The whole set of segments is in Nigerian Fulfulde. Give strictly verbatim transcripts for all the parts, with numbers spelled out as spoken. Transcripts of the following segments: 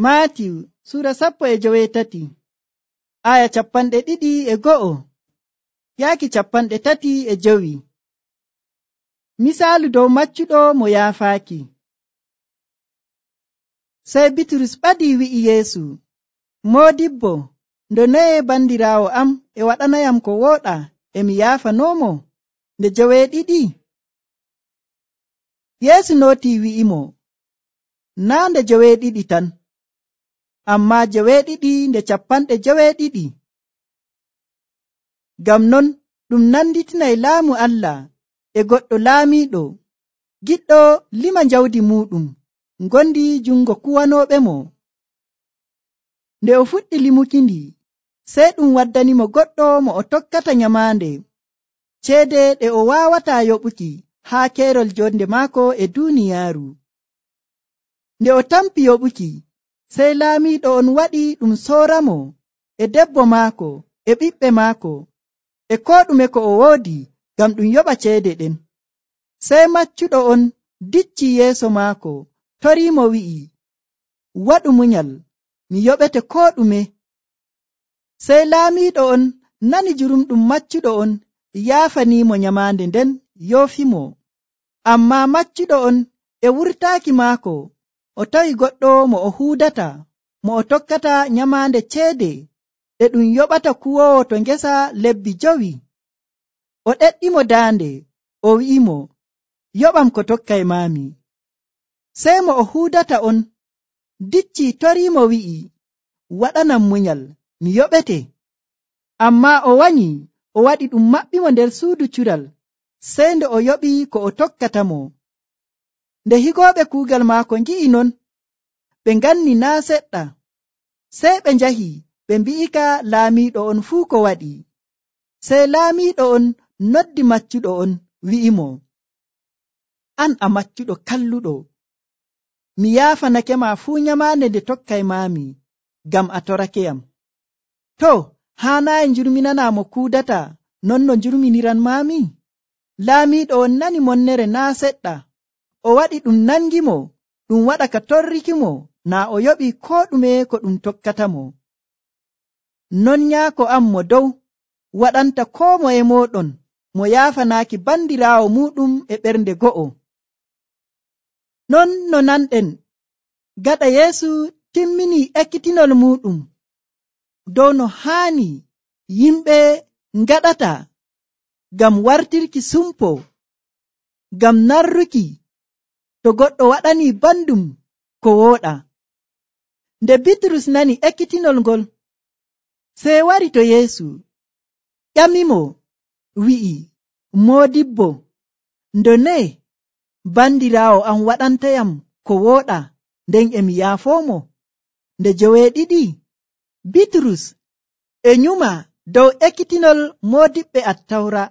Maatiw Sura sappo e joweetati aya capanɗe ɗiɗi e go'o yaaki capanɗe tati e jowi. Misaalu dow maccuɗo mo yaafaaki. Sey Bitrus ɓadii wi'i Yeesu, Moodibbo, ndo noye bandiraawo am e waɗanayam ko wooɗa e mi yaafanoomo nde joweeɗiɗi? Yeesu nootii wi'imo, naa nde joweeɗiɗi tan, ammaa joweeɗiɗi nde capanɗe joweeɗiɗi. Ngam non ɗum nanditinay laamu Allah e goɗɗo laamiiɗo giɗɗo lima jawdi muuɗum ngondi jungo kuwanooɓemo. Nde o fuɗɗi limukindi, sey ɗum waddanimo goɗɗo mo o tokkata nyamaande ceede ɗe o waawataa yoɓuki haa keerol jonde maako e duuniyaaru. Nde o tampi yoɓuki, sey laamiiɗo on waɗi ɗum sooramo e debbo maako e ɓiɓɓe maako e koo ɗume ko o woodi ngam ɗum yoɓa ceede ɗen. Sey maccuɗo on dicci yeeso maako, toriimo wi'i, waɗu munyal, mi yoɓete koo ɗume. Sey laamiiɗo on nani jurumɗum maccuɗo on yaafaniimo nyamaande nden yoofimo. Ammaa maccuɗo on e wurtaaki maako o tawi goɗɗo mo o huudata, mo o tokkata nyamaande ceede ɗe ɗum yoɓata kuwoowo to ngesa lebbi jowi. O ɗeɗɗimo daande, o wi'imo, yoɓam ko tokkay maami. Sey mo o huudata on dicci toriimo wi'i, waɗanam munyal, mi yoɓete. Ammaa o wanyi o waɗi ɗum maɓɓimo nder suudu cural, sey nde o yoɓi ko o tokkatamo. Nde higooɓe kuugal maako ngi'i non, ɓe nganni naa seɗɗa. Sey ɓe njahi ɓe mbi'ika laamiiɗo on fuu ko waɗi. Sey laamiiɗo on noddi maccuɗo on wi'imo, an a maccuɗo kalluɗo, mi yaafanakema fuu nyamaande nde tokkay maami ngam a torakeyam. To, haanaayi njurminana mo kuudata non no njurminiran maami? Laamiiɗo on nani monnere naa seɗɗa, o waɗi ɗum nangimo ɗum waɗa ka torrikimo naa o yoɓi koo ɗume ko ɗum tokkatamo. Non nyaako am mo dow waɗanta koo moye mooɗon mo yaafanaaki bandiraawo muuɗum e ɓernde go'o. Non no nanɗen gaɗa Yeesu timminii ekkitinol muuɗum dow no haani yimɓe ngaɗata ngam wartirki sumpo, ngam narruki to goɗɗo waɗanii bandum ko wooɗa. Nde Bitrus nani ekkitinol ngol, sey wari to Yeesu ƴamimo wi'i, Moodibbo, ndone bandiraawo am waɗantayam ko wooɗa nden e mi yaafoomo nde joweeɗiɗi? Bitrus e nyuma dow ekkitinol moodiɓɓe Attawra,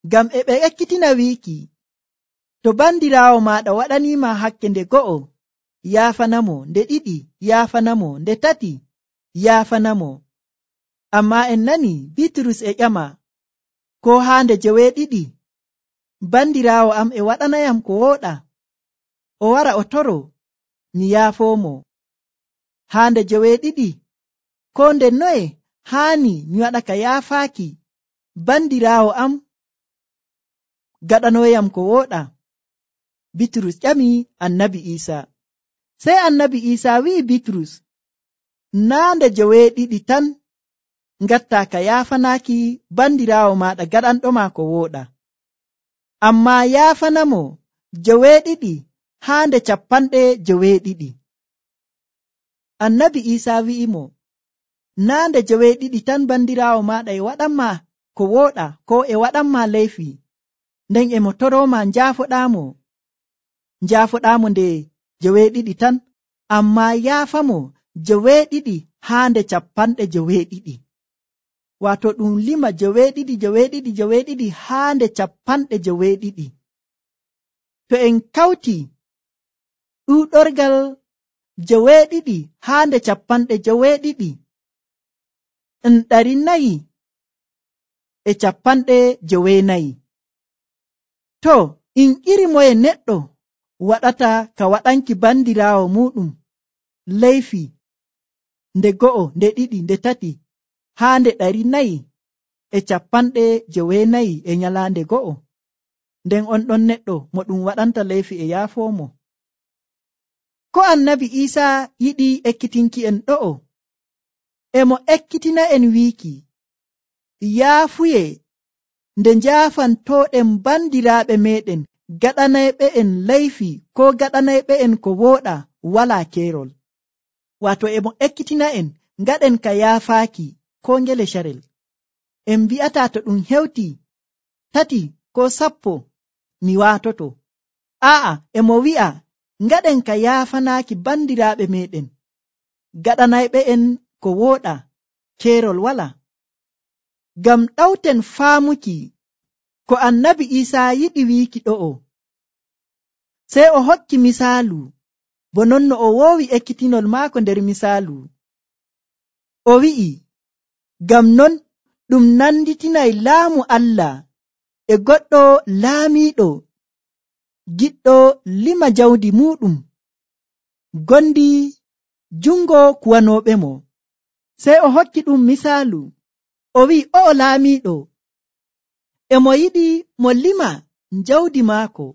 ngam e ɓe ekkitina wiiki, to bandiraawo maaɗa waɗaniima hakke nde go'o, yaafanamo nde ɗiɗi, yaafanamo nde tati, yaafanamo. Ammaa en nani Bitrus e ƴama, ko haa nde joweeɗiɗi? Bandiraawo am e waɗanayam ko wooɗa, o wara o toro, mi yaafoomo. Haa nde joweeɗiɗi? Ko nde noye haani mi waɗa ka yaafaaki bandiraawo am gaɗanooyam ko wooɗa? Bitrus ƴami Annabi Iisaa. Sey Annabi Iisaa wi'i Bitrus, naa nde joweeɗiɗi tan ngatta ka yaafanaaki bandiraawo maaɗa gaɗanɗoma ko wooɗa, ammaa yaafanamo joweeɗiɗi haa nde capanɗe joweeɗiɗi. Annabi Iisaa wi'imo, naa nde joweeɗiɗi tan bandiraawo maaɗa e waɗanma ko wooɗa ko e waɗanma leyfi, nden e mo torooma njaafoɗaamo. Njaafoɗaamo nde joweeɗiɗi tan, ammaa yaafamo joweeɗiɗi haa nde capanɗe joweeɗiɗi. Waato ɗum lima joweeɗiɗi joweeɗiɗi joweeɗiɗi haa nde capanɗe joweeɗiɗi. To en kawti ɗuuɗorgal joweeɗiɗi haa nde capanɗe joweeɗiɗi, en ɗari nayi e capanɗe joweenayi. To, in iri moye neɗɗo waɗata ka waɗanki bandiraawo muuɗum leyfi nde go'o nde ɗiɗi nde tati haa nde ɗari nayi e capanɗe joweenayi e nyalaande go'o, nden on ɗon neɗɗo mo ɗum waɗanta leyfi e yaafoomo. Ko annabi Iisaa yiɗi ekkitinki en ɗo'o, e mo ekkitina en wiiki yaafuye nde njaafantooɗen bandiraaɓe meeɗen gaɗanayɓe en leyfi ko gaɗanayɓe en ko wooɗa walaa keerol. Waato e mo ekkitina en ngaɗen ka yaafaaki ko ngele carel. En mbi'ataa to ɗum hewti tati ko sappo mi waatoto. Aa'a, e mo wi'a ngaɗen ka yaafanaaki bandiraaɓe meeɗen gaɗanayɓe en ko wooɗa keerol walaa. Ngam ɗawten faamuki ko annabi Iisaa yiɗi wiiki ɗo'o, sey o hokki misaalu bo non no o woowi ekkitinol maako nder misaalu. O wi'i, ngam non ɗum nanditinay laamu Allah e goɗɗo laamiiɗo giɗɗo lima jawdi muuɗum gondi jungo kuwanooɓe mo. Sey o hokki ɗum misaalu, o wi'i o'o laamiiɗo e mo yiɗi mo lima jawdi maako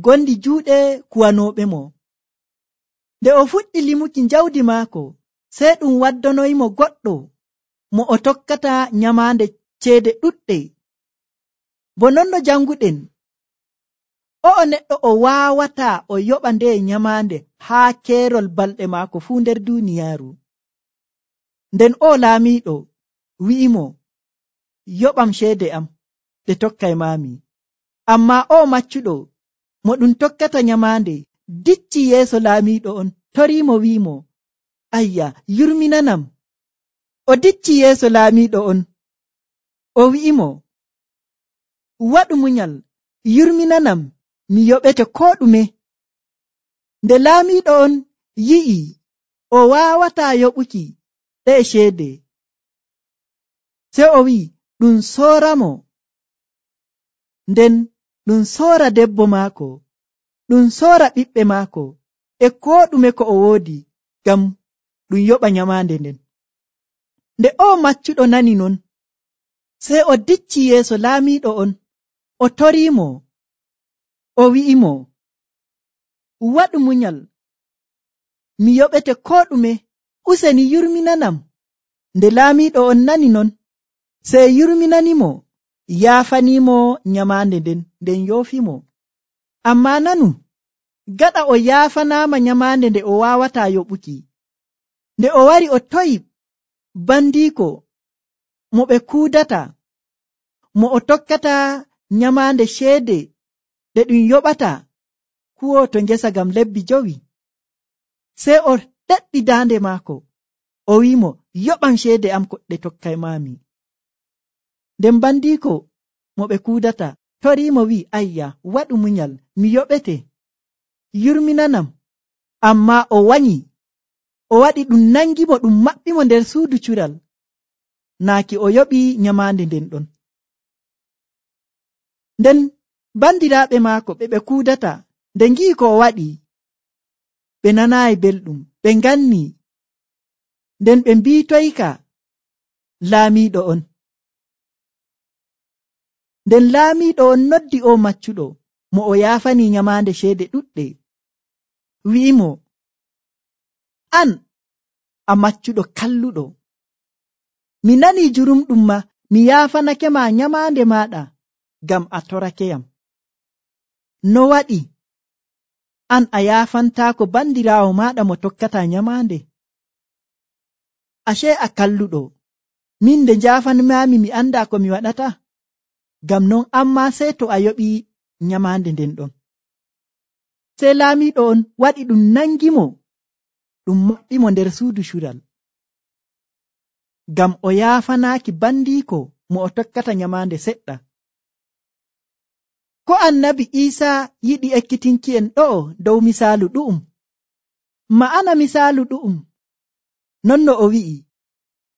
gondi juuɗe kuwanooɓe mo. Nde o fuɗɗi limuki jawdi maako, sey ɗum waddanoyimo goɗɗo mo o tokkata nyamaande ceede ɗuɗɗe. Bo non no janguɗen, o'o neɗɗo o waawataa o yoɓa nde nyamaande haa keerol balɗe maako fuu nder duuniyaaru. Nden o laamiiɗo wi'imo, yoɓam ceede am ɗe tokkay maami. Ammaa o maccuɗo mo ɗum tokkata nyamaande dicci yeeso laamiiɗo on, toriimo wi'imo, ayya, yurminanam. O dicci yeeso laamiiɗo on, o wi'imo, waɗu munyal, yurminanam, mi yoɓete koo ɗume. Nde laamiiɗo on yi'i o waawataa yoɓuki ɗe ceede, sey o wi'i ɗum sooramo, nden ɗum soora debbo maako, ɗum soora ɓiɓɓe maako e koo ɗume ko o woodi, ngam ɗum yoɓa nyamaande nden. Nde o maccuɗo nani non, sey o dicci yeeso laamiiɗo on, o toriimo, o wi'imo, waɗu munyal, mi yoɓete koo ɗume, useni yurminanam. Nde laamiiɗo on nani non, sey yurminanimo, yaafaniimo nyamaande nden, nden yoofimo. Ammaa nanu, gaɗa o yaafanaama nyamaande nde o waawataa yoɓuki, nde o wari o toyi bandiiko mo ɓe kuudata, mo o tokkata nyamaande ceede ɗe ɗum yoɓata kuwo to ngesa ngam lebbi jowi. Sey o ɗeɗɗi daande maako, o wi'imo, yoɓam ceede am ko ɗe tokkay maami. Nden bandiiko mo ɓe kuudata toriimo wi'i, ayya, waɗu munyal, mi yoɓete, yurminanam. Ammaa o wanyi, o waɗi ɗum nangimo ɗum maɓɓimo nder suudu cural, naaki o yoɓi nyamaande nden ɗon. Nden bandiraaɓe maako ɓe ɓe kuudata nde ngi'i ko o waɗi, ɓe nanaayi belɗum, ɓe nganni, nden ɓe mbiitoyka laamiiɗo on. Nden laamiiɗo on noddi o maccuɗo mo o yaafani nyamaande ceede ɗuɗɗe, wi'imo, an a maccuɗo kalluɗo, mi nanii jurumɗum ma mi yaafanake ma nyamaande maaɗa ngam a torakeyam. No waɗi an a yaafantaako bandiraawo maaɗa mo tokkata nyamaande? Ashe a kalluɗo, min nde njaafanmaami mi andaa ko mi waɗata? Ngam non amma sey to a yoɓi nyamaande nden ɗon. Sey laamiiɗo on waɗi ɗum nangimo, ɗum maɓɓimo nder suudu cural, ngam o yaafanaaki bandiiko mo o tokkata nyamaande seɗɗa. Ko annabi Iisaa yiɗi ekkitinki en ɗo'o dow misaalu ɗu'um. Ma'ana misaalu ɗu'um, non no o wi'i,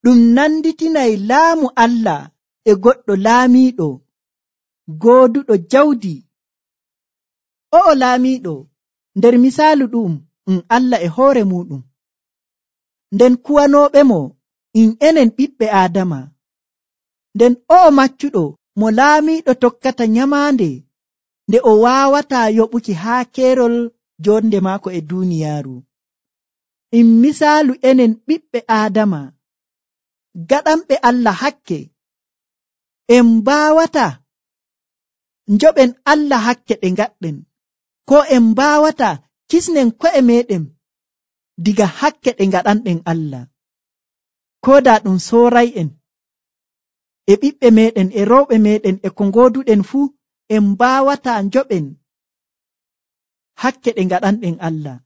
ɗum nanditinay laamu Allah e goɗɗo laamiiɗo gooduɗo jawdi. O'o laamiiɗo nder misaalu ɗu'um, um Allah e hoore muuɗum nden kuwanooɓe mo in enen ɓiɓɓe Aadama. Nden o'o maccuɗo mo laamiiɗo tokkata nyamaande nde o waawataa yoɓuki haa keerol jonde maako e duuniyaaru. In misaalu enen ɓiɓɓe Aadama gaɗanɓe Allah hakke, en mbaawata njoɓen Allah hakke ɗe ngaɗɗen, ko en mbaawata kisnen ko'e meeɗen diga hakke ɗe ngaɗanɗen Allah. Koo daa ɗum sooray'en e ɓiɓɓe meeɗen e rewɓe meeɗen e ko ngooduɗen fuu, en mbaawataa njoɓen hakke ɗe ngaɗanɗen Allah.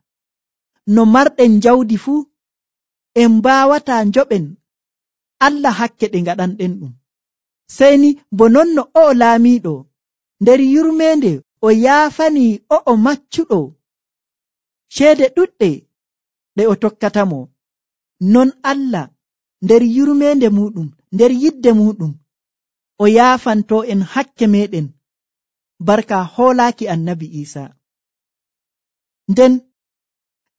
No marɗen jawdi fuu, en mbaawataa njoɓen Allah hakke ɗe ngaɗanɗen ɗum. Sey ni bo non no o'o laamiiɗo nder yurmeende o yaafanii o'o maccuɗo ceede ɗuɗɗe ɗe o tokkatamo, non Allah nder yurmeende muɗum, nder yidde muɗum, o yaafanto en hakke meɗen barka hoolaaki annabi Iisa. Nden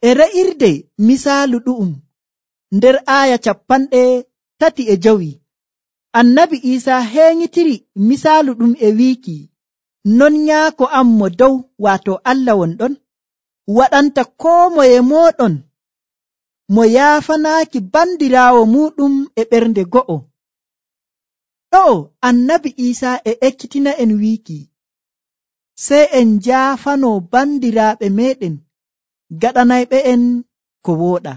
e re'irde misaalu ɗu'um nder aaya cappanɗe tati e jowi, annabi Iisa heeñitiri misaalu ɗum e wiiki, non nyaako am mo dow, waato Allah wonɗon, waɗanta koo moye mooɗon mo yaafanaaki bandiraawo muɗum e ɓernde go'o. Ɗo'o annabi Iisa e ekkitina en wiiki, sey en njaafanoo bandiraaɓe meɗen gaɗanayɓe en ko wooɗa.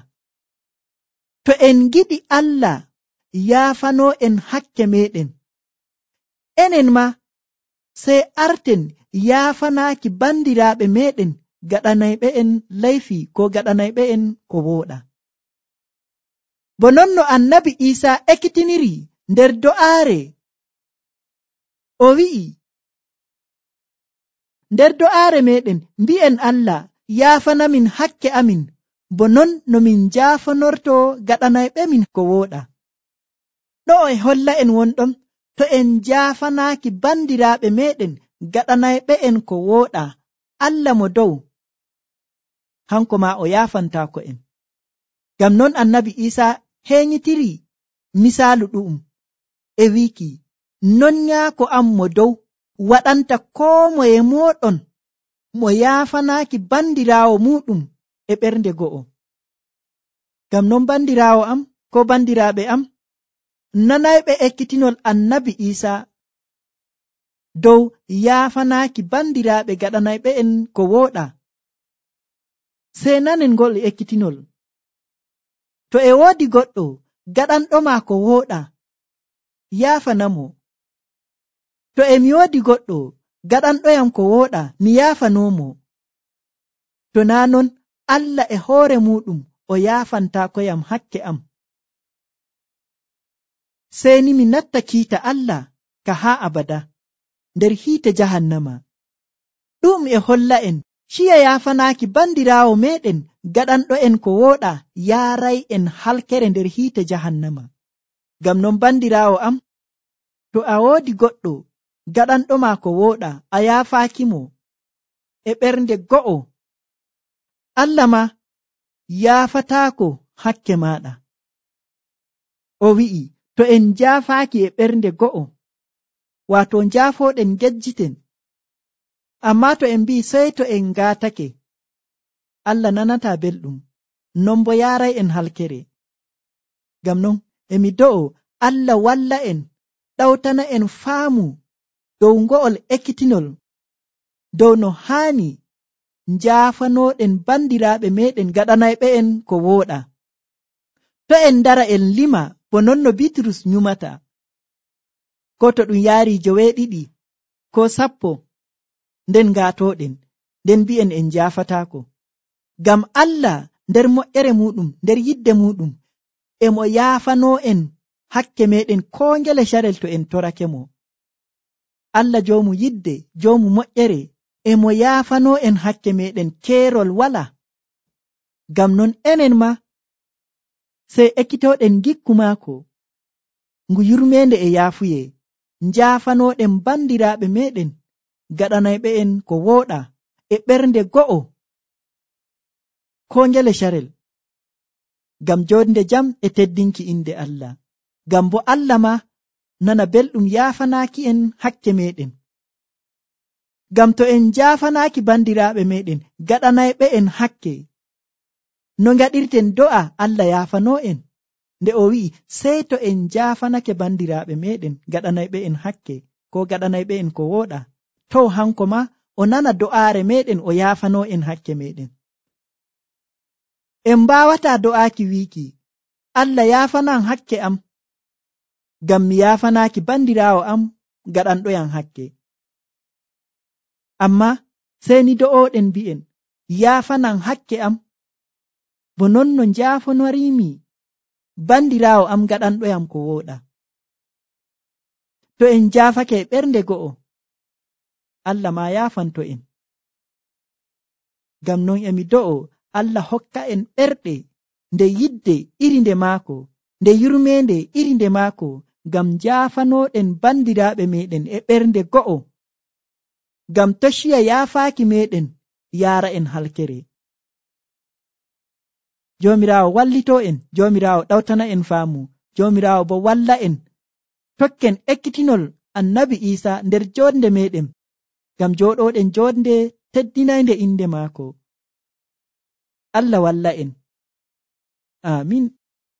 To en giɗi Allah yaafanoo en hakke meɗen, enen ma sey arten yaafanaaki bandiraaɓe meɗen gaɗanayɓe en layfi ko gaɗanayɓe en ko wooɗa. Bo non no annabi Iisa ekkitiniri nder do'aare, o wi'i, nder do'aare meɗen mbi'en Allah yaafanamin hakke amin, bo non no min njaafanorto gaɗanayɓe min ko wooɗa. Ɗo'o e holla en wonɗon, to en njaafanaaki bandiraaɓe meɗen gaɗanayɓe en ko wooɗa, Allah mo dow hanko ma o yaafantaako en. Ngam non annabi Iisa heeñitiri misaalu ɗu'um e wiiki, non nyaako am mo dow waɗanta koo moye mooɗon mo yaafanaaki bandiraawo muɗum e ɓernde go'o. Ngam non bandiraawo am ko bandiraaɓe am, nanayɓe ekkitinol annabi Iisa dow yaafanaaki bandiraaɓe gaɗanayɓe en ko wooɗa, sey nanen ngol ekkitinol. To e woodi goɗɗo gaɗanɗoma ko wooɗa, yaafanamo. To e mi woodi goɗɗo gaɗanɗoyam ko wooɗa, mi yaafanoomo. To naa non Allah e hoore muɗum o yaafantaakoyam hakke am, sey ni mi natta kiita Allah ka haa abada nder hiite jahannama. Ɗum e holla en ciya yaafanaaki bandiraawo meɗen gaɗanɗo en ko wooɗa yaaray en halkere nder hiite jahannama. Ngam non bandiraawo am, to a woodi goɗɗo gaɗanɗoma ko wooɗa, a yaafaakimo e ɓernde go'o, Allah ma yaafataako hakke maaɗa. O wi'i, to en njaafaaki e ɓernde go'o, waato njaafoɗen gejjiten, amma to en mbi'i sey to en ngaatake, Allah nanataa belɗum, non bo yaaray en halkere. Ngam non emi do'o Allah walla en, ɗawtana en faamu dow ngo'ol ekkitinol, dow no haani njaafanooɗen bandiraaɓe meɗen gaɗanayɓe en ko wooɗa. To en ndara en lima bo non no Bitrus nyumata, ko to ɗum yaari joweeɗiɗi ko sappo, nden ngaatoɗen, nden mbi'en en njaafataako. Ngam Allah nder moƴƴere muɗum, nder yidde muɗum, emo yaafanoo en hakke meɗen koo ngele carel to en torake mo. Allah joomu yidde, joomu moƴƴere, emo yaafanoo en hakke meɗen keerol wala. Ngam non enen ma sey ekkitoɗen gikku maako ngu yurmeende e yaafuye, njaafanooɗen bandiraaɓe meɗen gaɗanayɓe en ko wooɗa e ɓernde go'o ko ngele carel. ngam jonde jam e teddinki inde Allah. Ngam bo Allah ma nana belɗum yaafanaaki en hakke meɗen. Ngam to en jaafanaaki bandiraaɓe meɗen gaɗanayɓe en hakke, no ngaɗirten do'a Allah yaafano en, nde o wi'i sey to en jaafanake bandiraaɓe meɗen gaɗanayɓe en hakke ko gaɗanayɓe en ko wooɗa, to hanko ma o nana do'aare meɗen o yaafano en hakke meɗen. En mbawata do'aaki wiiki Allah yaafanan hakke am, ngam mi yaafanaaki bandiraawo am gaɗanɗoyam hakke. Amma sey ni do'oɗen mbi'en yaafanan hakke am bo non no njaafanoriimi bandiraawo am gaɗanɗoyam ko wooɗa. To en jaafake ɓernde go'o, Allah ma yaafanto en. Ngam non emi do'o Allah hokka en ɓerɗe nde yidde iri nde maako, nde yurmende iri nde maako, ngam jaafanoɗen bandiraaɓe meɗen e ɓernde go'o, ngam toshiya yaafaaki meɗen yaara en halkere. Joomiraawo wallito en, Joomiraawo ɗawtana en faamu, Joomiraawo bo walla en tokken ekkitinol annabi Iisa nder jonde meɗen, ngam jooɗoɗen jonde teddinaynde inde maako. Allah walla en. Amin.